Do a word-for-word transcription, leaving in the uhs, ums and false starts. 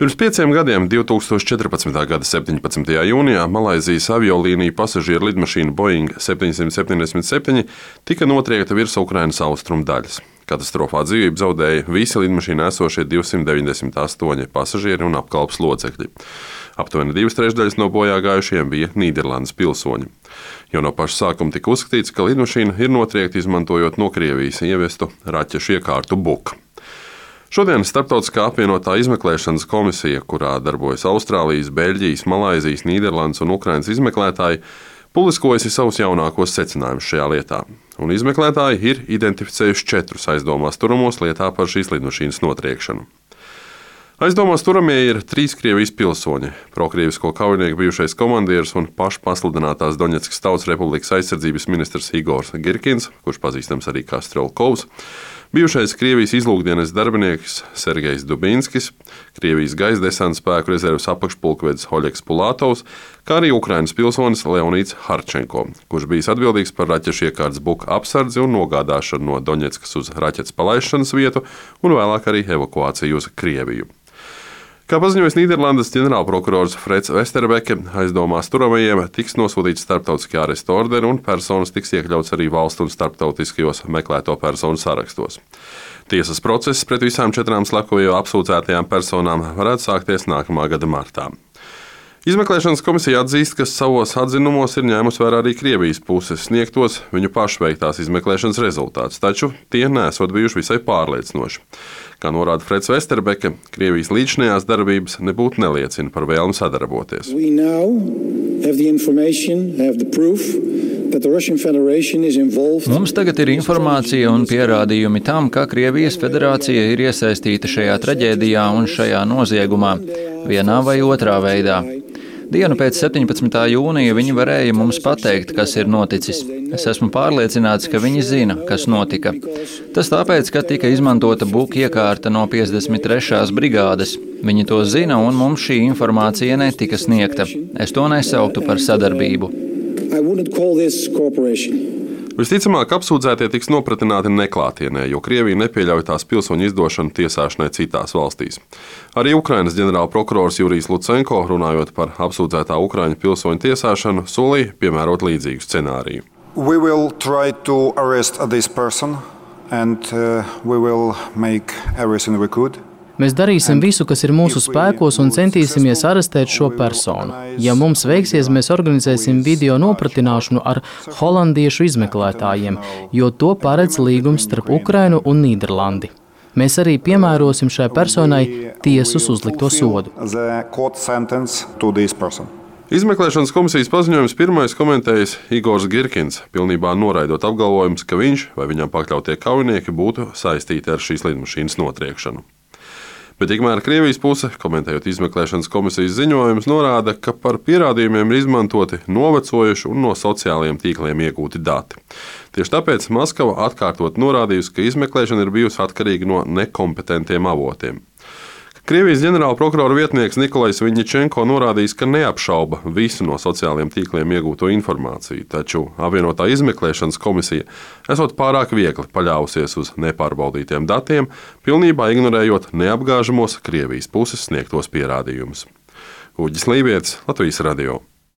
Pirms pieciem gadiem, divs tūkstoši četrpadsmitā gada septiņpadsmitajā jūnijā, Malaizijas aviolīniju pasažieru lidmašīna Boeing septiņsimt septiņdesmit septiņi tika notriekta virs Ukrainas austrumu daļas. Katastrofā dzīvību zaudēja visi lidmašīnā esošie divsimt deviņdesmit astoņi pasažieri un apkalpes locekļi. Aptuveni divas trešdaļas no bojā gājušiem bija Nīderlandes pilsoņi. Jau no paša sākuma tika uzskatīts, ka lidmašīna ir notriekta izmantojot no Krievijas ievestu raķešu iekārtu Buk. Šodien Starptautiskā apvienotā izmeklēšanas komisija, kurā darbojas Austrālijas, Beļģijas, Malaizijas, Nīderlandes un Ukrainas izmeklētāji, publiskojusi savus jaunākos secinājumus šajā lietā. Un izmeklētāji ir identificējuši četrus aizdomās turamos lietā par šīs lidmašīnas notriekšanu. Aizdomās turamie ir trīs Krievijas pilsoņi - prokrievisko kaujinieku bijušais komandieris un pašpasludinātās Doņetskas Tautas Republikas aizsardzības ministrs Igors Girkins, kurš pazīstams arī kā Strelkovs, bijušais Krievijas izlūkdienas darbinieks Sergejs Dubinskis, Krievijas gaisa desanta spēku rezerves apakšpulkvedis Oļegs Pulatovs, kā arī Ukrainas pilsonis Leonīds Harčenko, kurš bijis atbildīgs par raķešu iekārtas Buk apsardzi un nogādāšanu no Doņetskas uz raķetes palaišanas vietu un vēlāk arī evakuāciju uz Krieviju. Kā paziņojis Nīderlandes ģenerālprokurors Freds Vesterbeke, aizdomās turamajiem tiks nosūtīts starptautiskajā arestu orderi un personas tiks iekļauts arī valstu un starptautiskajos meklēto personu sarakstos. Tiesas process pret visām četrām slepkavību apsūdzētajām personām varētu sākties nākamā gada martā. Izmeklēšanas komisija atzīst, ka savos atzinumos ir ņēmusi vērā arī Krievijas puses sniegtos viņu pašu veiktās izmeklēšanas rezultātus, taču tie nesot bijuši visai pārliecinoši. Kā norāda Freds Vesterbeke, Krievijas līdzinājās darbības nebūtu neliecina par vēlmi sadarboties. Mums tagad ir informācija un pierādījumi tam, ka Krievijas federācija ir iesaistīta šajā traģēdijā un šajā noziegumā, vienā vai otrā veidā. Dienu pēc septiņpadsmitā jūnija viņi varēja mums pateikt, kas ir noticis. Es esmu pārliecināts, ka viņi zina, kas notika. Tas tāpēc, ka tika izmantota Buk iekārta no piecdesmit trešās brigādes. Viņi to zina, un mums šī informācija netika sniegta. Es to nesauktu par sadarbību. Visticamāk, apsūdzētie tiks nopratināti neklātienē, jo Krievija nepieļauj tās pilsoņu izdošanu tiesāšanai citās valstīs. Arī Ukrainas ģenerālprokurors Jurijs Lucenko, runājot par apsūdzētā Ukraiņu pilsoņu tiesāšanu, solīja piemērot līdzīgu scenāriju. We will try to arrest this person and uh, we will make everything we could. Mēs darīsim visu, kas ir mūsu spēkos, un centīsimies arestēt šo personu. Ja mums veiksies, mēs organizēsim video nopratināšanu ar holandiešu izmeklētājiem, jo to paredz līgums starp Ukrainu un Nīderlandi. Mēs arī piemērosim šai personai tiesas uzlikto sodu. Izmeklēšanas komisijas paziņojums pirmais komentējis Igors Girkins, pilnībā noraidot apgalvojumus, ka viņš vai viņam pakļautie kaujinieki būtu saistīti ar šīs lidmašīnas notriekšanu. Bet tikmēr Krievijas puse, komentējot izmeklēšanas komisijas ziņojumus, norāda, ka par pierādījumiem ir izmantoti novecojuši un no sociālajiem tīkliem iegūti dati. Tieši tāpēc Maskava atkārtot norādījusi, ka izmeklēšana ir bijusi atkarīga no nekompetentiem avotiem. Krievijas ģenerālprokurora vietnieks Nikolais Viņičenko norādījis, ka neapšauba visu no sociālajiem tīkliem iegūto informāciju, taču apvienotā izmeklēšanas komisija esot pārāk viegli paļāvusies uz nepārbaudītiem datiem, pilnībā ignorējot neapgāžamos Krievijas puses sniegtos pierādījumus. Uģis Lībietis, Latvijas radio.